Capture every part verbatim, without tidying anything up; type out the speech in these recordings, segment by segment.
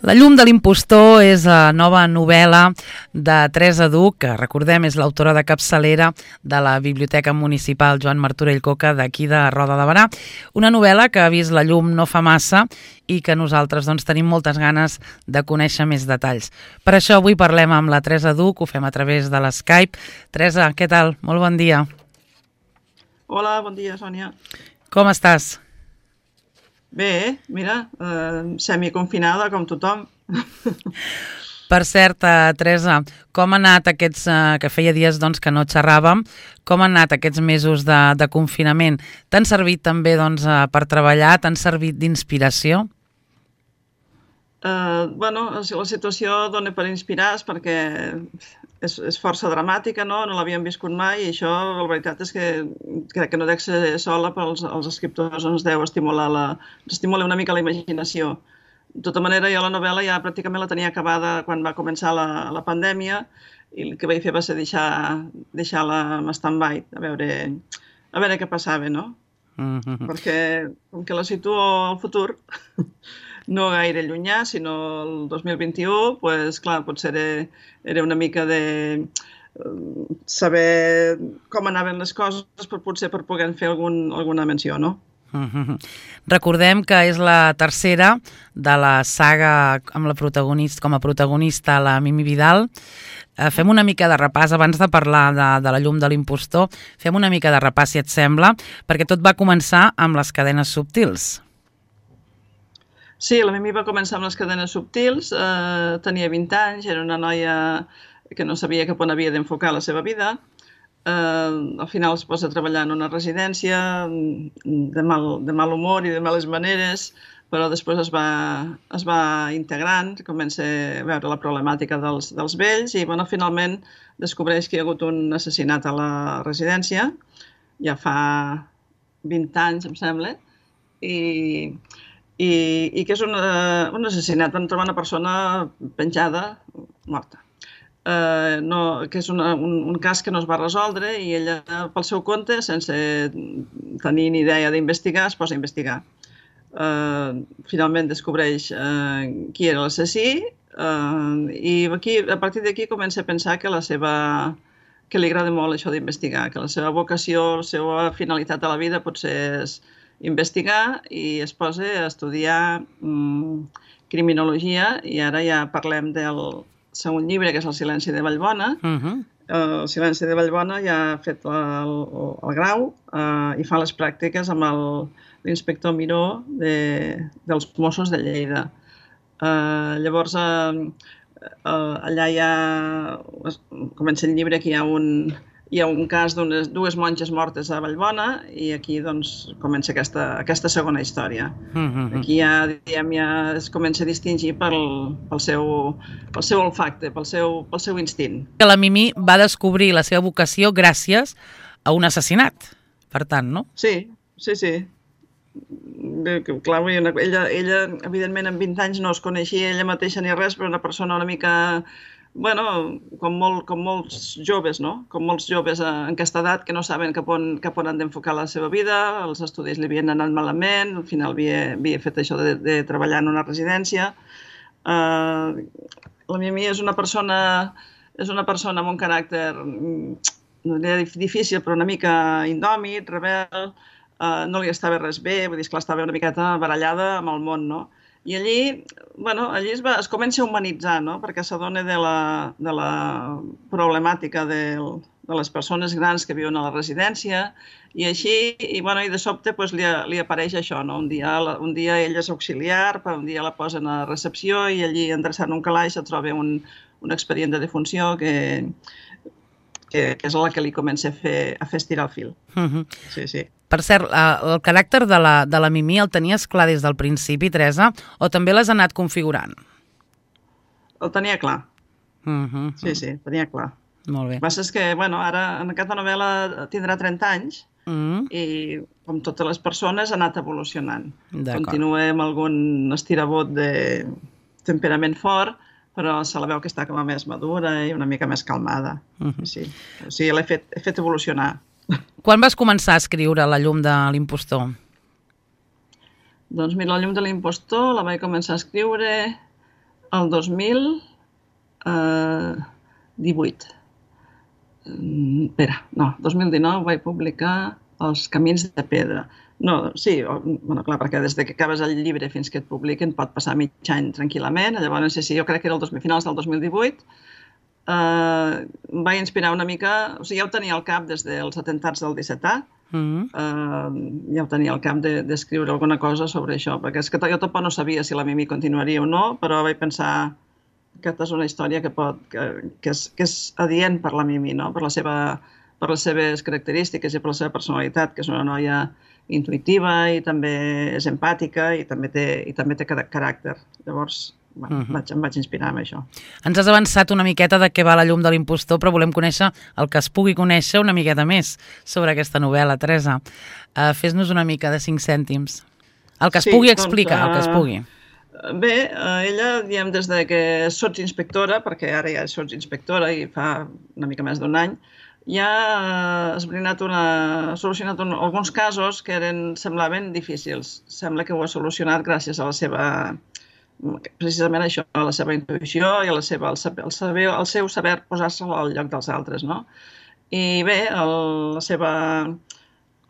La llum de l'impostor és la nova novel·la de Teresa Duch, que recordem és l'autora de capçalera de la Biblioteca Municipal Joan Martorell Coca d'aquí de Roda de Berà. Una novel·la que ha vist la llum no fa massa i que nosaltres doncs, tenim moltes ganes de conèixer més detalls. Per això avui parlem amb la Teresa Duch, ho fem a través de l'Skype. Teresa, què tal? Molt bon dia. Hola, bon dia, Sònia. Com estàs? Bé, mira, eh, semiconfinada com tothom. Per cert, eh, Teresa, com ha anat aquests, eh, que feia dies doncs, que no xerràvem, com han anat aquests mesos de, de confinament? T'han servit també doncs, eh, per treballar? T'han servit d'inspiració? Eh, bueno, la situació dona per inspirar perquè és, és força dramàtica, no? No l'havíem viscut mai i això, la veritat és que crec que no dec ser sola, però els, els escriptors ens deu estimular, la, estimular una mica la imaginació. De tota manera, jo la novel·la ja pràcticament la tenia acabada quan va començar la, la pandèmia i el que vaig fer va ser deixar, deixar-la en stand-by, a veure, a veure què passava, no? Mm-hmm. Perquè com que la situo al futur, no gaire llunyà, sinó el dos mil vint-i-u, pues, clar, potser era, era una mica de saber com anaven les coses, però potser per poder fer algun, alguna menció, no? Mm-hmm. Recordem que és la tercera de la saga amb la protagonista, com a protagonista la Mimi Vidal. Eh, fem una mica de repàs, abans de parlar de, de la llum de l'impostor, fem una mica de repàs, si et sembla, perquè tot va començar amb les cadenes subtils. Sí, la Mimi va començar amb les cadenes subtils, eh, tenia vint anys, era una noia que no sabia cap on havia d'enfocar la seva vida. Eh, al final es posa a treballar en una residència de mal, de mal humor i de males maneres, però després es va, es va integrant, comença a veure la problemàtica dels, dels vells i bueno, finalment descobreix que hi ha hagut un assassinat a la residència, ja fa vint anys, em sembla, i... I, i que és un, un assassinat. Van trobar una persona penjada, morta. Eh, no, que és una, un, un cas que no es va resoldre i ella, pel seu compte, sense tenir ni idea d'investigar, es posa a investigar. Eh, finalment descobreix eh, qui era l'assassí eh, i aquí, a partir d'aquí comença a pensar que, la seva, que li agrada molt això d'investigar, que la seva vocació, la seva finalitat a la vida potser és investigar i es posa a estudiar mm, criminologia i ara ja parlem del segon llibre, que és El silenci de Vallbona. Uh-huh. El silenci de Vallbona ja ha fet el, el grau eh, i fa les pràctiques amb l'inspector Miró de, dels Mossos de Lleida. Eh, llavors, eh, eh, allà ja comença el llibre que hi ha un... Hi ha un cas d'unes dues monges mortes a Vallbona i aquí doncs, comença aquesta, aquesta segona història. Mm-hmm. Aquí ja, diguem, ja es comença a distingir pel, pel, seu, pel seu olfacte, pel seu, pel seu instint. La Mimi va descobrir la seva vocació gràcies a un assassinat, per tant, no? Sí, sí, sí. Bé, clar, ella, ella, evidentment, amb vint anys no es coneixia ella mateixa ni res, però una persona una mica... Bueno, com, molt, com molts joves, no? Com molts joves en aquesta edat que no saben cap on, cap on han d'enfocar la seva vida, els estudis li havien anat malament, al final havia, havia fet això de, de treballar en una residència. Uh, la Mimi és una persona, és una persona amb un caràcter no difícil, però una mica indòmit, rebel, uh, no li estava res bé, vull dir, esclar, estava una miqueta barallada amb el món, no? I allí, bueno, allí es, va, es comença a humanitzar, no? Perquè s'adona de la, de la problemàtica de, de les persones grans que viuen a la residència i així, i, bueno, i de sobte pues, li, li apareix això, no? Un dia, un dia ella és auxiliar, un dia la posen a recepció i allí endreçant un calaix se troba un, un expedient de defunció que, que, que és la que li comença a fer, a fer estirar el fil. Uh-huh. Sí, sí. Per cert, el caràcter de la, de la Mimi el tenies clar des del principi, Teresa, o també l'has anat configurant? El tenia clar. Uh-huh. Sí, sí, tenia clar. Molt bé. El que passa és que, bueno, ara en aquesta novel·la tindrà trenta anys uh-huh. i, com totes les persones, ha anat evolucionant. Continua amb algun estirabot de temperament fort, però se la veu que està com a més madura i una mica més calmada. Uh-huh. Sí. O sigui, l'he fet, he fet evolucionar. Quan vas començar a escriure La llum de l'impostor? Doncs mira, La llum de l'impostor la vaig començar a escriure el dos mil divuit. Espera, no, dos mil dinou vaig publicar Els camins de pedra. No, sí, bueno, clar, perquè des que acabes el llibre fins que et publiquen pot passar mig any tranquil·lament. Llavors, sí, sí, jo crec que era el dos mil, finals del dos mil divuit. Uh, em va inspirar una mica... O sigui, ja ho tenia al cap des dels atemptats del disset A. Mm-hmm. uh, ja ho tenia al cap d'escriure de, alguna cosa sobre això, perquè és que jo tampoc no sabia si la Mimi continuaria o no, però vaig pensar que aquesta és una història que, pot, que, que, és, que és adient per la Mimi, no? per, la seva, per les seves característiques i per la seva personalitat, que és una noia intuïtiva i també és empàtica i també té, i també té caràcter. Llavors, bueno, uh-huh. vaig, em vaig inspirar amb això. Ens has avançat una miqueta de què va La llum de l'impostor, però volem conèixer el que es pugui conèixer una miqueta més sobre aquesta novel·la, Teresa. Uh, Fes-nos una mica de cinc cèntims. El que es sí, pugui explicar, doncs, uh, el que es pugui. Bé, uh, ella, diem, des de que sots inspectora, perquè ara ja sots inspectora i fa una mica més d'un any, ja ha esbrinat una, ha solucionat un, alguns casos que eren, semblaven difícils. Sembla que ho ha solucionat gràcies a la seva, precisament això, a la seva intuïció i a la seva, el, saber, el, saber, el seu saber posar-se al lloc dels altres, no? I bé, el, la seva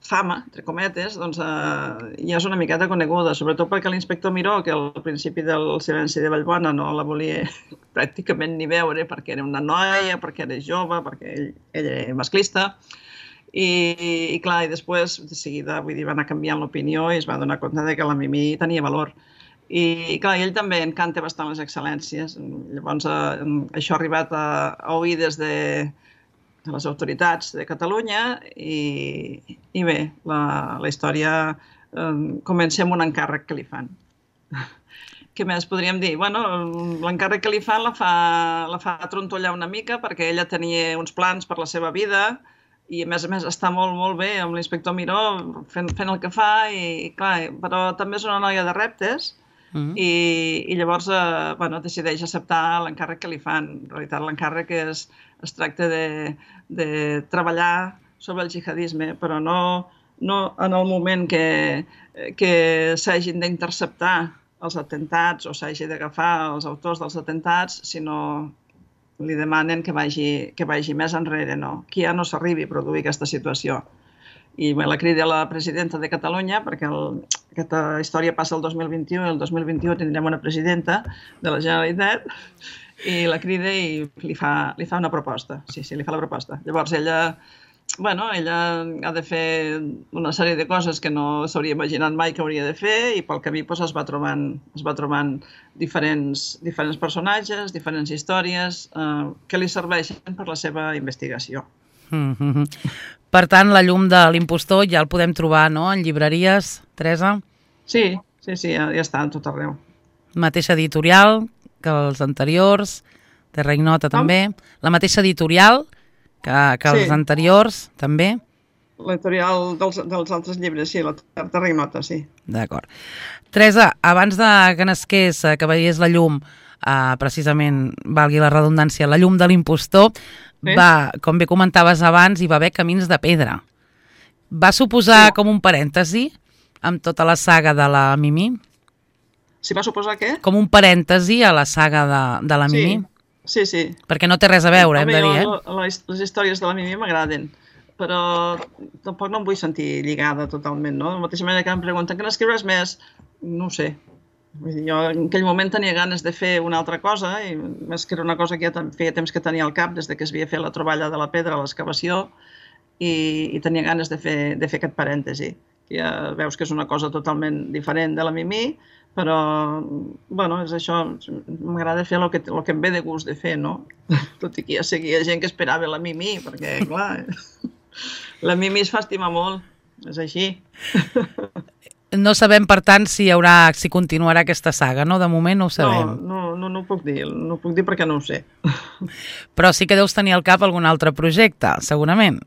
fama, entre cometes, doncs eh, ja és una miqueta coneguda, sobretot perquè l'inspector Miró, que al principi del Silenci de Vallbona no la volia pràcticament ni veure perquè era una noia, perquè era jove, perquè ell, ell era masclista, i, i clar, i després de seguida, vull dir, va anar canviant l'opinió i es va donar compte de que la Mimi tenia valor. I clar, ell també encanta bastant les excel·lències, llavors eh, això ha arribat a, a oïdes de de les autoritats de Catalunya i, i bé, la, la història eh, comença amb un encàrrec que li fan. Què més podríem dir? Bueno, l'encàrrec que li fan la fa, la fa trontollar una mica perquè ella tenia uns plans per la seva vida i a més a més està molt, molt bé amb l'inspector Miró fent, fent el que fa i clar, però també és una noia de reptes. Mm-hmm. I, i llavors eh, bueno, decideix acceptar l'encàrrec que li fan. En realitat l'encàrrec és, es tracta de, de treballar sobre el jihadisme, però no, no en el moment que, que s'hagin d'interceptar els atemptats o s'hagi d'agafar els autors dels atemptats, sinó li demanen que vagi, que vagi més enrere, no? Que ja no s'arribi a produir aquesta situació. I bé, la crida a la presidenta de Catalunya, perquè el, aquesta història passa el dos mil vint-i-u i el dos mil vint-i-u tindrem una presidenta de la Generalitat, i la crida i li fa, li fa una proposta. Sí, sí, li fa la proposta. Llavors ella, bueno, ella ha de fer una sèrie de coses que no s'hauria imaginat mai que hauria de fer i pel camí doncs, es va trobant, es va trobant diferents, diferents personatges, diferents històries eh, que li serveixen per la seva investigació. Mm-hmm. Per tant, La llum de l'impostor ja el podem trobar, no?, en llibreries, Teresa? Sí, sí, sí, ja, ja està, tot arreu. Mateixa editorial que els anteriors, Terra Ignota també. La mateixa editorial que, que els sí. anteriors, també? L'editorial dels, dels altres llibres, sí, la Terra Ignota, sí. D'acord. Teresa, abans de que nasqués, que veiés la llum, eh, precisament, valgui la redundància, La llum de l'impostor, sí. va, com bé comentaves abans, hi va haver Camins de pedra. Va suposar sí. com un parèntesi amb tota la saga de la Mimi? Si va suposar què? Com un parèntesi a la saga de, de la Mimi? Sí, sí, sí. Perquè no té res a veure, hem de dir, eh? Les, les històries de la Mimi m'agraden, però tampoc no em vull sentir lligada totalment, no? De la mateixa manera que em pregunten que n'escriuràs més, no ho sé. Vull dir, jo en aquell moment tenia ganes de fer una altra cosa, i més que era una cosa que ja feia temps que tenia al cap, des de que es havia fet la troballa de la pedra a l'excavació, i, i tenia ganes de fer, de fer aquest parèntesi. Ja veus que és una cosa totalment diferent de la Mimi, però, bueno, és això, m'agrada fer el que, el que em ve de gust de fer, no? Tot i que ja seguia gent que esperava la Mimi, perquè, clar, la Mimi es fa estimar molt, és així. No sabem, per tant, si hi haurà, si continuarà aquesta saga, no? De moment no ho sabem. No, no, no ho puc dir, no ho puc dir perquè no ho sé. Però sí que deus tenir al cap algun altre projecte, segurament.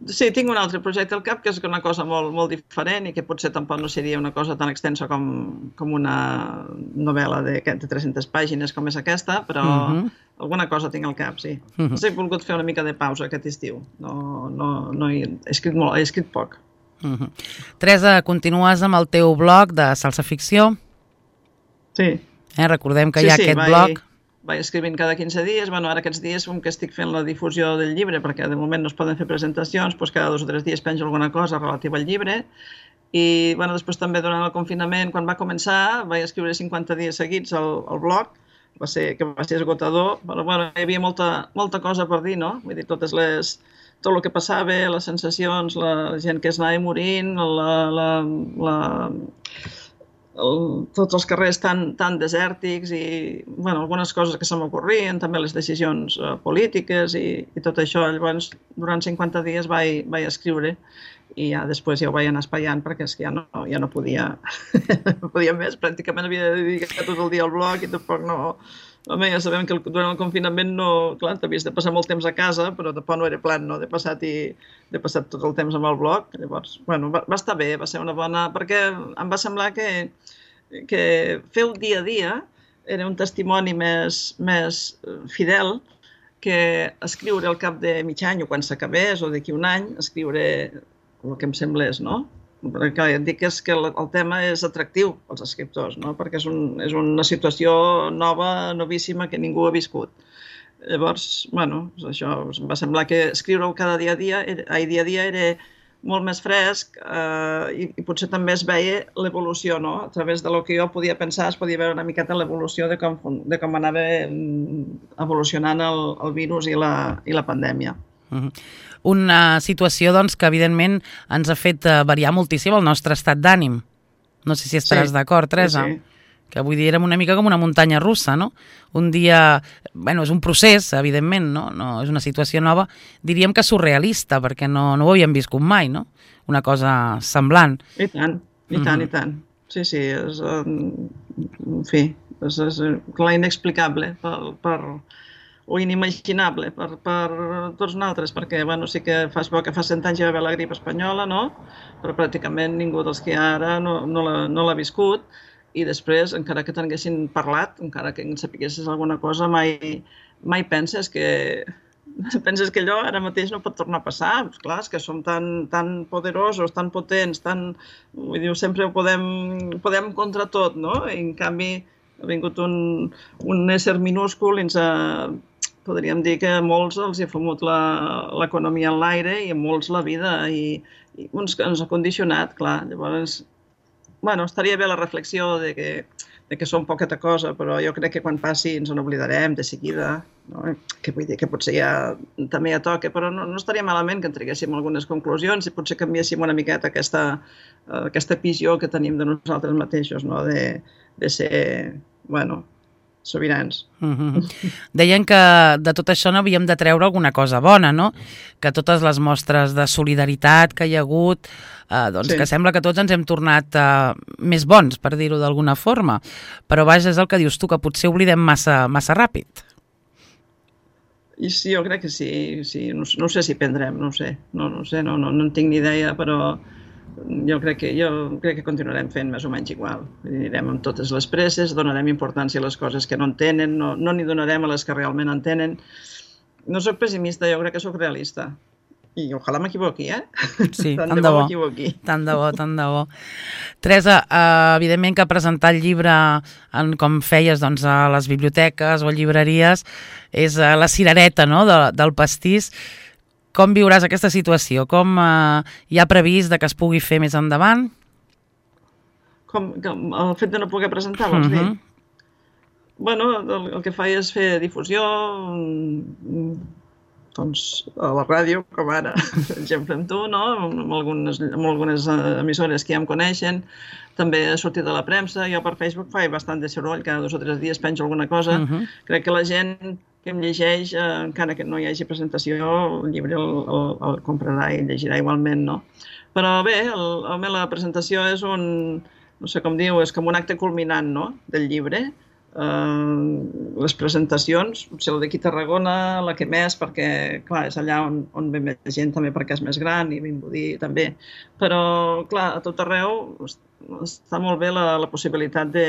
Sí, tinc un altre projecte al cap, que és una cosa molt, molt diferent i que potser tampoc no seria una cosa tan extensa com, com una novel·la de, de tres-centes pàgines com és aquesta, però uh-huh. alguna cosa tinc al cap, sí. Uh-huh. He volgut fer una mica de pausa aquest estiu. No, no, no he, he escrit molt, he escrit poc. Uh-huh. Teresa, continues amb el teu blog de Salsa Ficció? Sí. Eh? Recordem que sí, hi ha sí, aquest vaig, blog. Vaig escrivint cada quinze dies. Bueno, ara aquests dies com que estic fent la difusió del llibre, perquè de moment no es poden fer presentacions, doncs cada dos o tres dies penjo alguna cosa relativa al llibre. I bueno, després també durant el confinament, quan va començar, vaig escriure cinquanta dies seguits al, al blog, va ser, que va ser esgotador, però bueno, hi havia molta, molta cosa per dir, no? Vull dir, totes les, tot el que passava, les sensacions, la gent que es anava morint, la, la, la, el, tots els carrers tan, tan desèrtics i bueno, algunes coses que se m'ocorrien, també les decisions uh, polítiques i, i tot això. Llavors, durant cinquanta dies vaig, vaig escriure i ja després ja ho vaig anar espaiant perquè és que ja no, ja no podia no podia més, pràcticament havia de dedicar tot el dia al blog i tampoc no... Home, ja sabem que durant el confinament no... Clar, t'havies de passar molt temps a casa, però tampoc no era plan, no?, de passar, i, de passar tot el temps amb el blog. Llavors, bueno, va, va estar bé, va ser una bona... Perquè em va semblar que, que fer el dia a dia era un testimoni més, més fidel que escriure al cap de mig any o quan s'acabés o d'aquí un any, escriure el que em semblés, no? Perquè et dic és que el, el tema és atractiu als escriptors, no? Perquè és, un, és una situació nova, novíssima, que ningú ha viscut. Llavors, bueno, això em va semblar que escriure-ho cada dia a dia, ai, dia a dia era molt més fresc eh, i, i potser també es veia l'evolució, no? A través de lo que jo podia pensar es podia veure una miqueta l'evolució de, com, de com anava evolucionant el, el virus i la, i la pandèmia. Uh-huh. Una situació, doncs, que evidentment ens ha fet variar moltíssim el nostre estat d'ànim. No sé si estaràs sí, d'acord, Teresa. Sí, sí. Que vull dir, érem una mica com una muntanya russa, no? Un dia... Bueno, és un procés, evidentment, no? No és una situació nova. Diríem que surrealista, perquè no, no ho havíem viscut mai, no? Una cosa semblant. I tant, i tant, uh-huh. i tant. Sí, sí, és... En fi, és, és clar, inexplicable per... per... o inimaginable per, per tots nosaltres, perquè bueno, sí que fa poc que fa cent anys hi va haver la grip espanyola, no? Però pràcticament ningú dels que hi ha ara no, no l'ha no l'ha viscut, i després, encara que t'haguessin parlat, encara que en sapiguessis alguna cosa, mai, mai penses que penses que allò ara mateix no pot tornar a passar. Pues clar, és que som tan, tan poderosos, tan potents, tan... Vull dir, sempre ho podem, podem contra tot, no? I en canvi ha vingut un, un ésser minúscul i ens ha... podríem dir que a molts els ha fumut l'economia en l'aire i a molts la vida i, i uns, ens ha condicionat, clar. Llavors, bueno, estaria bé la reflexió de que, de que som poqueta cosa, però jo crec que quan passi ens n'oblidarem de seguida, no? Que vull dir que potser ja també ja toca, però no, no estaria malament que en traguéssim algunes conclusions i potser canviéssim una miqueta aquesta, uh, aquesta visió que tenim de nosaltres mateixos, no? De, de ser, bueno, sobirans. Uh-huh. Deien que de tot això no havíem de treure alguna cosa bona, no? Que totes les mostres de solidaritat que hi ha hagut, eh, doncs sí. Que sembla que tots ens hem tornat eh, més bons, per dir-ho d'alguna forma. Però vaja, és el que dius tu, que potser oblidem massa, massa ràpid. I sí, jo crec que sí. sí. No, no sé si prendrem, no ho sé. No, no sé, no, no, no en tinc ni idea, però jo crec que, jo crec que continuarem fent més o menys igual. Anirem amb totes les presses, donarem importància a les coses que no en tenen, no, no n'hi donarem a les que realment en tenen. No soc pessimista, jo crec que soc realista. I ojalà m'equivoqui, eh? Sí, tant, tant de bo, m'equivoqui. Tant de bo, tant de bo. Teresa, eh, evidentment que presentar el llibre, en, com feies doncs, a les biblioteques o llibreries, és eh, la cirereta, no?, de, del pastís. Com viuràs aquesta situació? Com eh, hi ha previst de que es pugui fer més endavant? Com, com el fet de no poder presentar, vols dir? Uh-huh. Bueno, el, el que faig és fer difusió, doncs a la ràdio, com ara, per exemple amb tu, no? Amb algunes, amb algunes emissores que ja em coneixen, també he sortit a la premsa, jo per Facebook faig bastant de soroll, cada dos o tres dies penjo alguna cosa, uh-huh. Crec que la gent que em llegeix, eh, encara que no hi hagi presentació, el llibre el, el, el comprarà i el llegirà igualment, no? Però bé, el, el, la presentació és un, no sé com diu, és com un acte culminant, no?, del llibre. Uh, les presentacions, potser la d'aquí a Tarragona, la que més, perquè clar, és allà on, on ve més gent també perquè és més gran i Vimbodí també, però clar, a tot arreu està molt bé la, la possibilitat de,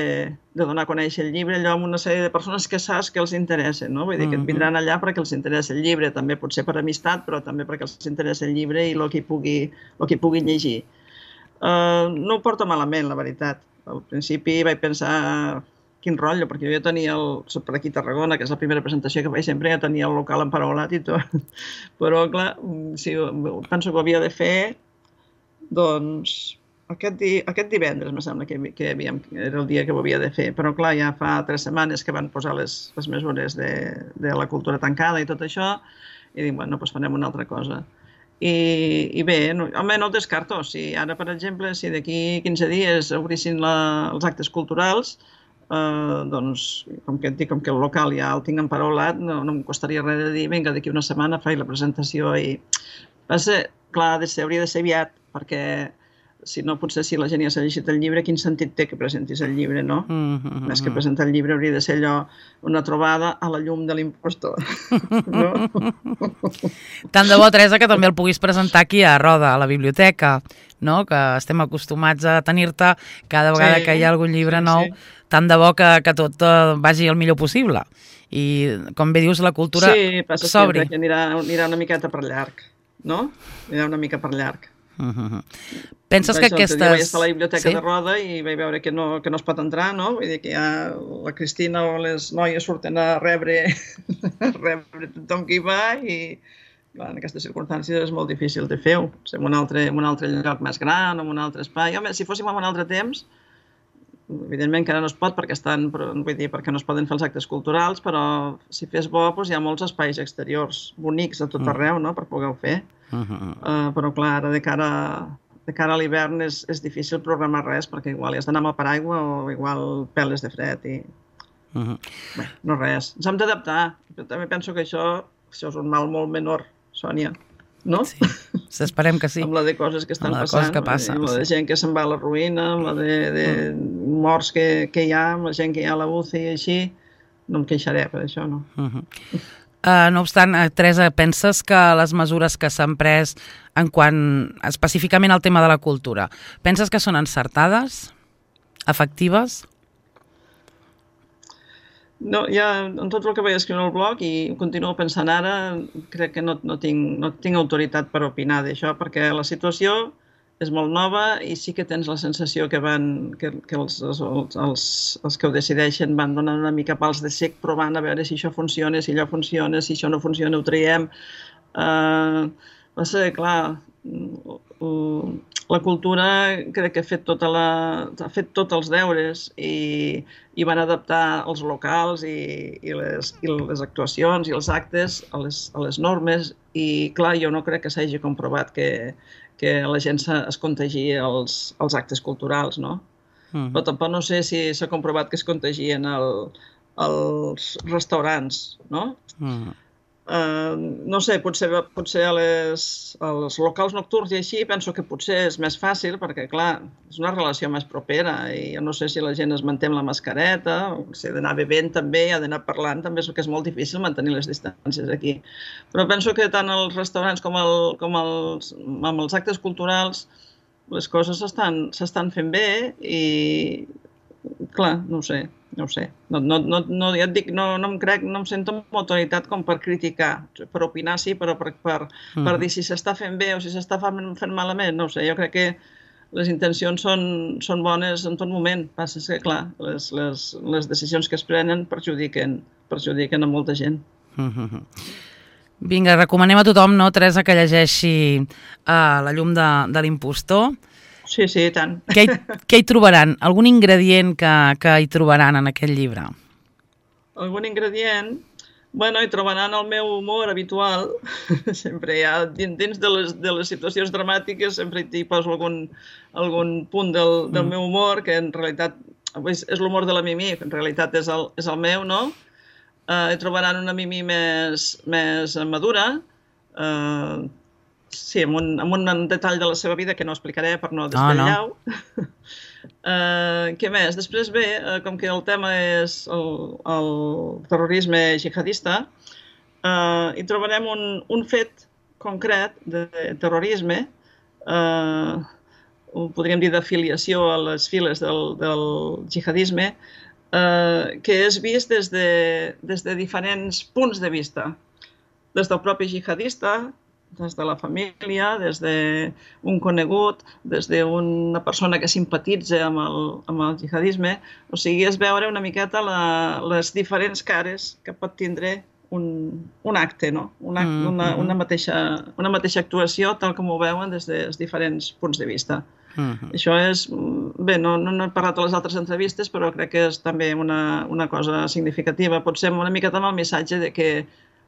de donar a conèixer el llibre allò amb una sèrie de persones que saps que els interessa, no? Vull dir que et vindran allà perquè els interessa el llibre, també potser per amistat, però també perquè els interessa el llibre i el que hi pugui, el que hi pugui llegir. Uh, no ho porto malament, la veritat. Al principi vaig pensar quin rotllo, perquè jo ja tenia, el, soc per aquí a Tarragona, que és la primera presentació que faig sempre, ja tenia el local emparaulat i tot. Però, clar, si, penso que ho havia de fer, doncs, aquest, di, aquest divendres, me sembla que, que havíem, era el dia que ho havia de fer. Però, clar, ja fa tres setmanes que van posar les, les mesures de, de la cultura tancada i tot això, i dic, bueno, doncs farem una altra cosa. I, i bé, no, home, no ho descarto. Si ara, per exemple, si d'aquí quinze dies obrissin la, els actes culturals, eh, doncs, com que et dic, com que el local ja el tinc emparaulat, no, no em costaria res de dir, vinga, d'aquí una setmana faig la presentació i... Va ser, clar, de ser, hauria de ser aviat, perquè si no, potser si la gent ja s'ha llegit el llibre, quin sentit té que presentis el llibre, no? Mm -hmm. Més que presentar el llibre hauria de ser allò, una trobada a la llum de l'impostor, no? Tant de bo, Teresa, que també el puguis presentar aquí a Roda, a la biblioteca, no? Que estem acostumats a tenir-te cada vegada sí, que hi ha algun llibre sí, nou, sí. Tant de bo que, que tot vagi el millor possible. I, com bé dius, la cultura s'obri. Sí, passa sempre que anirà, anirà una miqueta per llarg, no? Anirà una mica per llarg. Uh-huh. Penses vaig, que aquestes... Vaig estar a la biblioteca sí? de Roda i vaig veure que no, que no es pot entrar, no? Vull dir que ja la Cristina o les noies surten a rebre, a rebre tothom que hi va i clar, en aquestes circumstàncies és molt difícil de fer-ho. En un altre, en un altre lloc més gran, en un altre espai. Home, si fóssim en un altre temps, evidentment que ara no es pot perquè, estan, vull dir, perquè no es poden fer els actes culturals, però si fes bo doncs hi ha molts espais exteriors bonics a tot arreu, no?, per poder-ho fer. Uh -huh. uh, però clar, ara de cara, de cara a l'hivern és, és difícil programar res perquè igual has d'anar amb el paraigua o igual peles de fred i... Uh -huh. Bé, no res, ens hem d'adaptar. També penso que això, això és un mal molt menor, Sònia, no? Sí, esperem que sí. Amb la de coses que estan passant, que passen, amb la de gent que se'n va a la ruïna, amb la de, de uh. morts que, que hi ha, amb la gent que hi ha a la U C I i així, no em queixaré per això, no? Uh -huh. Uh, no obstant, Teresa, penses que les mesures que s'han pres en quant específicament al tema de la cultura, penses que són encertades? Efectives? No, ja en tot el que vaig escriure al blog i continuo pensant ara, crec que no, no, tinc, no tinc autoritat per opinar d'això, perquè la situació és molt nova i sí que tens la sensació que van que, que els, els, els, els que ho decideixen van donant una mica pals de cec provant a veure si això funciona, si allò funciona, si això no funciona ho traiem. Uh, va ser, clar, uh, la cultura crec que ha fet, tota la, ha fet tots els deures i, i van adaptar els locals i, i, les, i les actuacions i els actes a les, a les normes i clar, jo no crec que s'hagi comprovat que que la gent es contagi als, als actes culturals, no? Uh-huh. Però tampoc no sé si s'ha comprovat que es contagien el, als restaurants, no? Uh-huh. Uh, no sé, potser, potser a les, als locals nocturns i així penso que potser és més fàcil perquè, clar, és una relació més propera i jo no sé si la gent es manté amb la mascareta, o si ha d'anar bevent també, ha d'anar parlant, també és que és molt difícil mantenir les distàncies aquí. Però penso que tant als restaurants com, el, com els, amb els actes culturals les coses s'estan fent bé i, clar, no ho sé. No ho sé, no, no, no, ja et dic, no, no em crec, no em sento amb autoritat com per criticar, per opinar sí, però per, per, mm. per dir si s'està fent bé o si s'està fent, fent malament, no ho sé, jo crec que les intencions són, són bones en tot moment, passa que, clar, les, les, les decisions que es prenen perjudiquen, perjudiquen a molta gent. Mm-hmm. Vinga, recomanem a tothom, no, Teresa, que llegeixi uh, La llum de, de l'impostor. Sí, sí, i tant. Què hi, què hi trobaran? Algun ingredient que, que hi trobaran en aquest llibre? Algun ingredient? Bueno, hi trobaran el meu humor habitual. Sempre hi ha, dins de les, de les situacions dramàtiques, sempre hi poso algun, algun punt del, del mm. meu humor, que en realitat és, és l'humor de la Mimi, que en realitat és el, és el meu, no? Uh, hi trobaran una Mimi més, més madura, uh, sí, amb un, amb un detall de la seva vida que no explicaré per no desvetllar-ho. Oh, no. uh, què més? Després bé, uh, com que el tema és el, el terrorisme jihadista, uh, hi trobarem un, un fet concret de terrorisme, uh, podríem dir d'afiliació a les files del, del jihadisme, uh, que és vist des de, des de diferents punts de vista. Des del propi jihadista, des de la família, des d'un conegut, des d'una persona que simpatitza amb el, amb el jihadisme. O sigui, és veure una miqueta la, les diferents cares que pot tindre un, un acte, no? Una, una, una, mateixa, una mateixa actuació, tal com ho veuen des dels diferents punts de vista. Uh-huh. Això és... Bé, no, no, no he parlat a les altres entrevistes, però crec que és també una, una cosa significativa. Potser una miqueta amb el missatge de que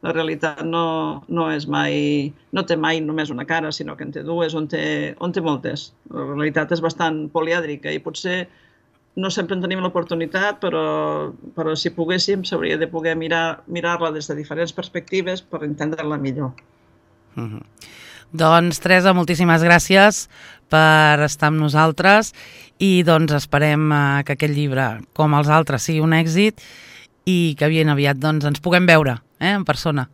la realitat no, no és mai... no té mai només una cara, sinó que en té dues, on té, on té moltes. La realitat és bastant polièdrica i potser no sempre en tenim l'oportunitat, però, però si poguéssim s'hauria de poder mirar, mirar-la des de diferents perspectives per entendre-la millor. Uh-huh. Doncs, Teresa, moltíssimes gràcies per estar amb nosaltres i doncs esperem uh, que aquest llibre, com els altres, sigui un èxit i que ben aviat doncs, ens puguem veure eh, en persona.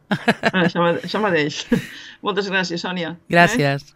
Això, això mateix. Moltes gràcies, Sònia. Gràcies. Eh?